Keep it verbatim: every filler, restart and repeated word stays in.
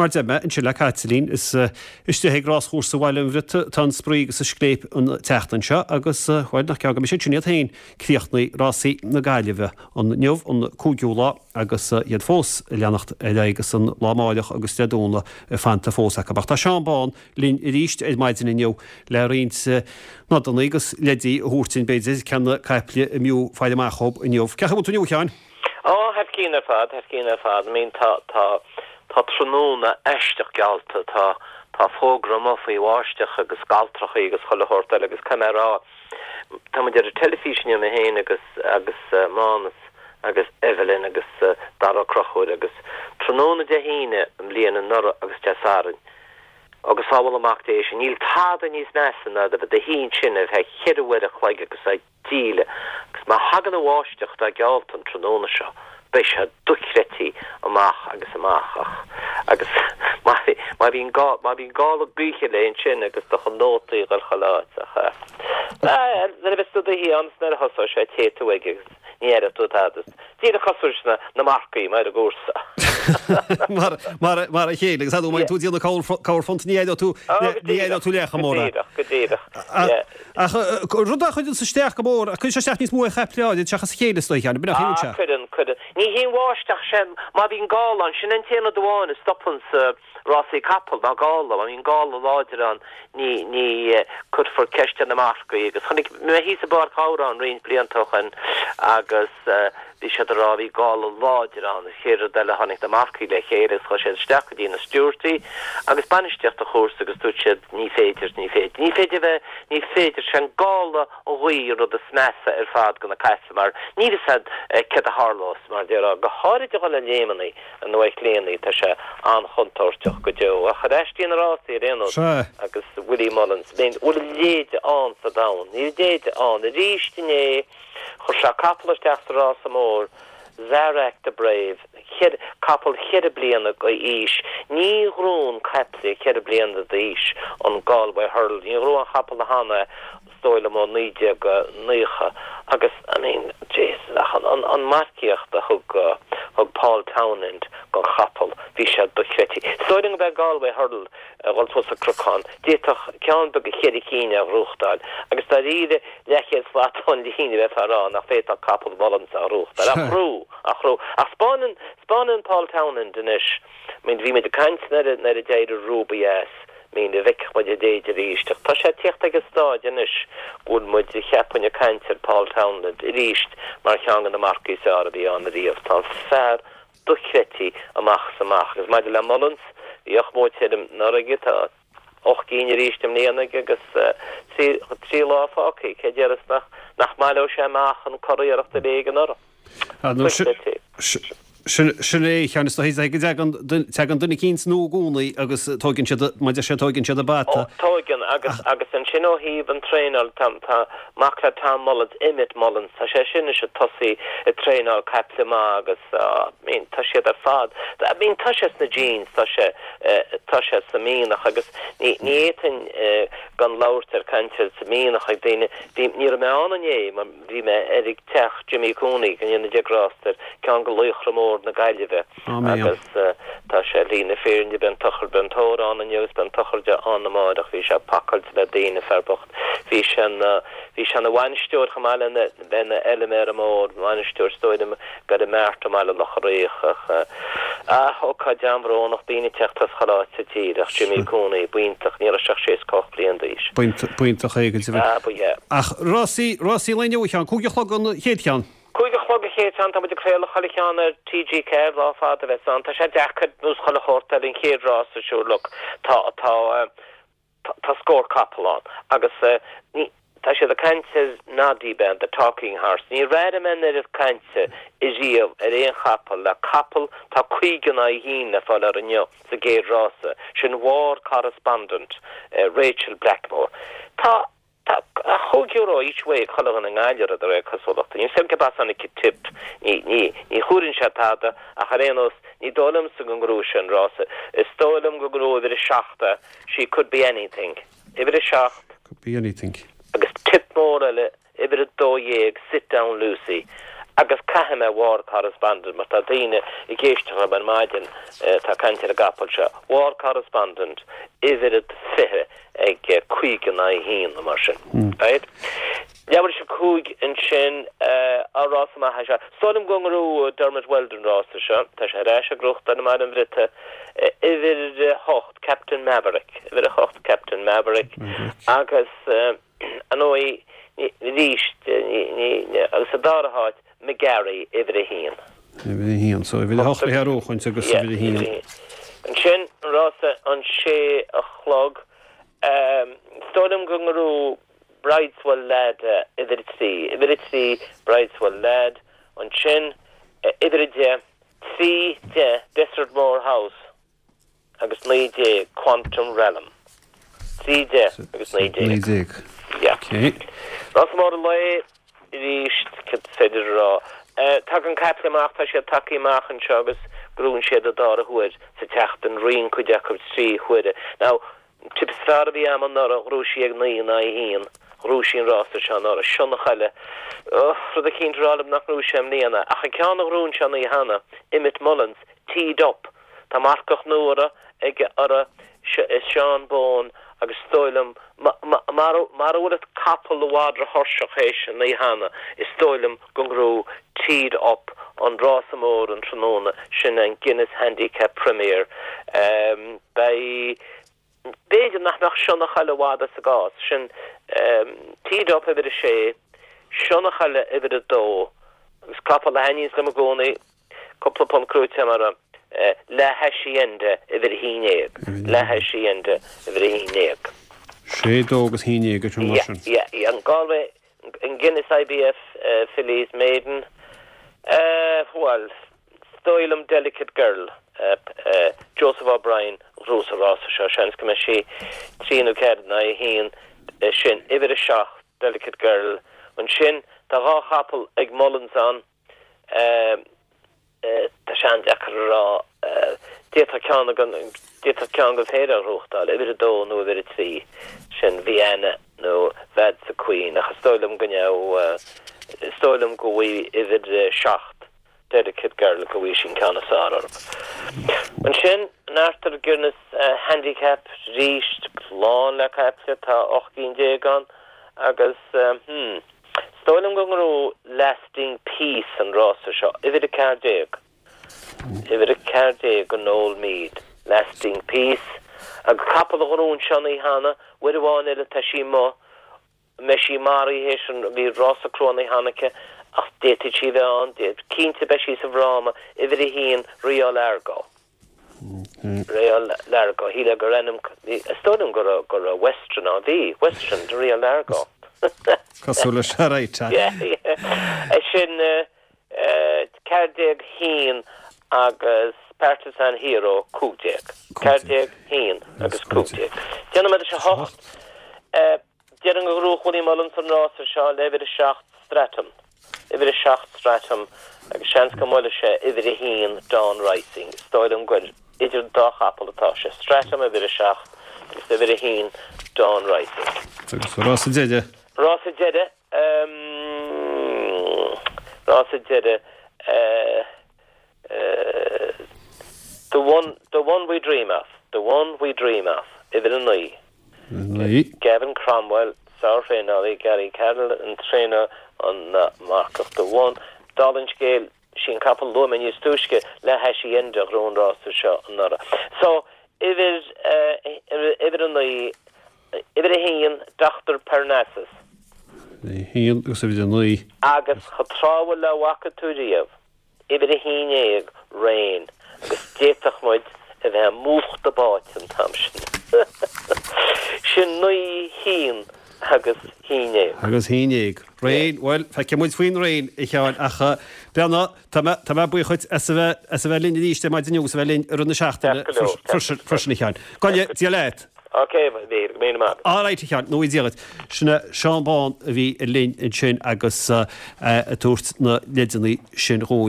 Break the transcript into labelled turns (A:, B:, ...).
A: Mar deir mé ansin le Caitlín is istigh ag ráschúrsa Bhaile an Bhriotaigh tá an spraoi agus an scléip an tseachtain seo agus bhuel nach ceann go mbeidh siad sin iad féin críochnaigh rásaí na Gaillimhe inniu an cúigiú lá agus iad fós leanacht ar agus an lá amárach agus Dé Domhnaigh fanta fós acu. Ach tá Seán Bán linn arís ar maidin inniu le roinnt nodanna agus leidí a thabhairt dúinn b'fhéidir cé na caiple a mb'fhiú faire amach dóibh inniu. Cén chaoi a bhfuil tú inniu Sheáin?
B: Ó thar cionn ar fad thar cionn ar fad I mean tá tá tá tráthnóna aisteach geallta tá tá fógra amuigh faoi bháisteach agus galltrachaí agus chuile shórt eile agus caithfidh mé a rá tá muid ar an teilifís inniu mé féin agus agus Mánas agus Evelyn agus Dara Crochúir agus tráthnóna Dé hAoine i mbliana anuraidh agus Dé Sathairn agus sábháil amach Dé sin níl tada níos measa ná do do shuí ansin ar feadh ceithre uair a chloig agus a díle agus má thagann an bháisteach atá geallta an tráthnóna seo beidh sé dochreidte amach agus amach ach agus má má bhíonn gá má bhíonn gála gaoithe le ansin agus do chun nótaí dhul chuile áit ach nuair a bheas tú i do shuí ann nuair a thosóidh sé téigh tú ag agus ní aireoidh tú tada díreach cosúil leis na na marcaí mar an gcúrsa.
A: mar mar mar a chéile agus má tú déanamh corrphunt ní aireoidh tú ní aireoidh tú leath chomh mór.
B: Go díreach go díreach.
A: Ach rud a chuireann isteach go mór a chuireann sé isteach níos mó ar chaiple áirid seachas a chéile is dóigh cheana b'in a
B: sé. Cuireann cuireann. Ní hí an bháisteach sin má bhíonn gála ann sin an t-aon rud amháin a stopann sa rásaí capall ná gála má bhíonn gála láidir ann ní ní cuirfear ceist ar na marcaí agus chonaic mé thíos i bPáirc Ghabhráin roinnt blianta ó shin agus bhí siad ag rá bhí gála láidir ann is chéad rud eile tháinig na marcaí le chéile agus chuaigh siad isteach go dtí na stiúrtaí agus bainistíocht an chúrsa agus dúirt siad ní féidir ní féidir ní féidir bheith ní féidir sé an gála an ghaoth an rud is measa ar fad go na caiple mar ní fhios agat céard a tharlós mar déarfá go háirid a dhul le léimeanna an uaicléanaí tá sé an-chontúirteach go deo ach ar ais na rásaí ar aon nós agus Willie Mullins bhfuil a leithéid ann sa domhan níl a leithéid ann arís inné chuir sé capall isteach sa rása mór Zarak the Brave capall cheithre bliana d'aois ní ghnóthaíonn caiple ceithre bliana d'aois an Galway Hurdle ní ghnóthaigh an capall cheana is dóigh liom ó naoi déag nócha agus I mean Jesus ach an an an marcaíocht a thug thug Paul Townend don chapall bhí sé dochreidte. Is dóigh liom go mbeidh Galway Hurdle a dhul suas an cnocán d'fhéadfadh ceann beag cheithre cinn a ghnóthachtáil agus dáiríre leathchéad slat ón líne bheith rá nach féadfadh capall Mullins a ghnóthachtáil a chrú a chrú ach spáineann spáineann Paul Townend anois I mean bhí muid ag caint nuair nuair a d'éirigh Ruby as mín a bheith muid a déidir arís Tá sé teacht ag an stáid anois go bhfuil muid cheapfainn ag caint ar Paul Townend arís mar cheann de na marcaigh is fearr a bhí ann riamh Tá fear dochreidte amach is amach agus maidir le Mullins bhí ocht mbua tirim anuraidh tá ocht gcinn arís i mbliana agus trí trí lá fágtha cé déarfas nach nach mbaileoidh sé amach an curiarracht a léig anuraidh.
A: Sin é chean is go tegan duine cín nó gúnaí agus tógann siad maidir sé tógann siad a bata.
B: Tógann agus agus ansin ó thaobh an traenáil tá tá mac le Tom Mullins Emmet Mullins tá sé sin is tosaí ag traenáil caiple maith agus uh, mean, tá siad ar fad. I mean, tá sé sna genes tá sé uh, tá sé sa mhianach agus ní ní fhéadfainn uh, gan labhairt ar caint sa mhianach ag daoine bhí ní raibh mé ann inné mar bhí mé ar ag teach Jimmy Cooney gan dhéanamh de gráster ceann de laochra mór na Gaillimhe agus uh, tá sé lína féinne ben tochar ben tórán an agus ben tochar de an amárach bhí sé pacáilte le daoine fear bocht bhí sin uh, bhí sin a bhainisteoir chomh maith lena lena fheilméara mór bainisteoir stoim go a meart me le locharéoch a ócáid an-bhrónach daoine teacht as chuile áit sa tír ach Jimmy Cooney b'iontach ní raibh sé sé ocht bliain d'aois.
A: B'iontach é go
B: Ah, ba yeah.
A: Ach rásaí rásaí an lae inniu chean cúig a chlog an chéad cheann.
B: Cúig a chlog an chéad cheann tá muid ag craoladh chuile cheann ar TG Ceathair lá fada bheith an Tá sé deacair nós chuile shórt ar an chéad rása sure look tá tá uh, tá, tá scór capall ann agus uh, ní Tá sé ag caint Noddy Ben the talking horse. Ní raibh mé ar cainte i riamh ar aon chapall le capall tá caoga a haon le fáil ar inniu sa gcéad rása sin War Correspondent uh, Rachel Blackmore. Tá Tá chúig euro each way chuile an nGaillimh de réir cosúlachta. Ní sem bas an tip ní ní ní chuireann sé tada ach ar aon nós ní dóigh liomsa go ngnóthóidh sé an rása. Is dóigh liom go ngnóthóidh uimhir a seacht she could be anything. Uimhir a seacht
A: Could be anything.
B: agus tip mór eile uimhir a dó dhéag sit down Lucy. Agus caithfidh mé War Correspondent mar tá daoine ag éisteacht liom ar maidin tá caint ar an gcapall seo. War Correspondent uimhir a fiche ag cúig in aghaidh a haon nó mar sin. Right? Leathuair tar éis a cúig ansin an rása maith é seo. Is dóigh liom go ngnóthóidh Dermot Weld an rása seo. Tá sé ar ais ag gnóthachtáil i mBaile an Bhriotaigh. Uimhir a hocht Captain Maverick. Uimhir a hocht Captain Maverick. Agus ar ndóigh arís agus sa dara háit McGarry uimhir a haon.
A: Uimhir a haon. So uimhir a hocht le hearúchaint agus uimhir a haon.
B: Ansin an rása an sé a chlog. Is dóigh liom go ngnóthóidh Brideswell Lad uimhir a trí, uimhir a trí Brideswell Lad, ansin uimhir a deich, trí, deich Desertmore House agus naoi déag Quantum Realm. Trí, deich agus naoi déag.
A: Naoi déag.
B: Yeah.
A: Okay.
B: Rás mór an lae arís cad is féidir a rá. Tagann caiple amach, tá siad tagtha amach anseo agus gnóthaíonn siad an dara huair sa tseachtain, ritheann cuid acu trí huaire. Now, An tip is fearr a bhí a'm anuraidh, ghnóthaigh sí ag naoi in aghaidh a haon. Ghnóthaigh sí an rása seo anuraidh. Sionnachaile. Rud eicínt a rá liom nach ngnóthóidh sé i mbliana. Ach an ceann a ghnóthaigh anseo an oíche cheana, Emmet Mullins, Teed Up. Tá marcach nua orthu ag orthu, Seán Bone agus is dóigh liom, mara bhfuil an capall i bhfad róthuirseach théis an oíche cheana, is dóigh liom go ngnóthóidh Teed Up an rása mór an tráthnóna, sin an Guinness Handicap Premier. Beidh. B'fhéidir nach mbeadh Sionnachaile i bhfad as an gcás sin. Teed Up uimhir a sé, Sionnachaile uimhir a dó, agus capall a thaitníonns liom i gcónaí, cúpla punt gnóite agam orthu, La Hacienda uimhir a haon déag, La Hacienda uimhir a haon déag.
A: Sé, dó agus haon déag, ar mar sin.
B: Yeah, yeah, yeah. An Galway, an Guinness IBF Fillies Maiden, bhuel, Is dóigh liom Delicate Girl, Joseph O'Brien, a ghnóthós an rása seo. Seans go mbeidh sí trí nó ceathair in aghaidh a haon. Sin uimhir a seacht, Delicate Girl. Ansin tá dhá chapall ag Mullins ann. Tá sé an-deacair a rá. D'fhéadfadh ceann den, d'fhéadfadh ceann den phéire a ghnóthachtáil, uimhir a dó nó uimhir a trí. Sin Vienna nó Vadsa Queen. Ach is dóigh liom go mbeadh, is dóigh liom go bhfaighidh uimhir a seacht. Delicate Girl go bhfaighidh sí an ceann is fearr orthu. Ansin, an Arthur Guinness Handicap arís, lán le caiple, tá ocht gcinn déag ann agus, hmm, is dóigh liom go ngnóthóidh Lasting Peace an rása seo, uimhir a ceathair déag. Uimhir a ceathair déag do Noel Meade, Lasting Peace. Agus capall a ghnóthaigh anseo an oíche cheana, uair amháin eile tá sí amuigh, mbeidh sí maraithe théis an, bhí rása crua an oíche cheana aici ach d'fhéadfadh sí a bheith ann, cinnte beidh sí sa bhfráma, uimhir a haon, Rio Largo. Rio Largo, shílfeá gur ainm, is dóigh liom go raibh, go raibh Western ann, bhí, Western de Rio Largo.
A: Cosúil leis, right.
B: Yeah, yeah. Sin ceathair déag haon agus Partisan Hero cúig déag. Ceathair déag haon agus cúig déag. Déanfaidh muid a hocht. Déarfainn go ngnóthódh Willie Mullins an rása seo le uimhir a seacht Stratum, uimhir a seacht Stratum agus seans go mbuailfidh sé uimhir a haon Dawn Rising. Is dóigh liom gur idir an dá chapall atá sé, Stratum uimhir a seacht agus uimhir a haon Dawn Rising.
A: Agus rása deiridh?
B: Rása deiridh, rása deiridh, The one, the one we dream of, the one we dream of, uimhir a naoi.
A: naoi.
B: Gavin Cromwell, sár-thraenálaí, Gary Carroll an traenálaí, an marcach The One. Dála an scéil, sí an capall a luaigh mé níos túisce, La Hacienda a ghnóthaigh an rása seo anuraidh. So, uimhir, uimhir a naoi, uimhir a haon, Doctor Parnassus.
A: A haon agus uimhir a naoi.
B: Agus chomh tráthúil le bhfaca tú riamh. Uimhir a haon déag, Rain, agus d'fhéadfadh muid a bheith múchta báite an t-am sin. Sin naoi, haon agus haon déag.
A: Agus haon déag. Rain, bhuel, feicfidh muid faoin Rain, a Sheáin, ach beanna, tá mé, tá mé buíoch dhuit as a bheith, as a bheith linn arís ar maidin inniu agus a bheith linn i rith na seachtaine freisin, a Sheáin. Go ndéana Dia leat!
B: Ok, a Mhíchíl, go raibh míle maith agat.
A: Alright, a Sheáin, go ngnóthaí Dia dhuit. Sin é Seán Bán a bhí linn ansin agus ag tabhairt na leideanna sin dhúinn.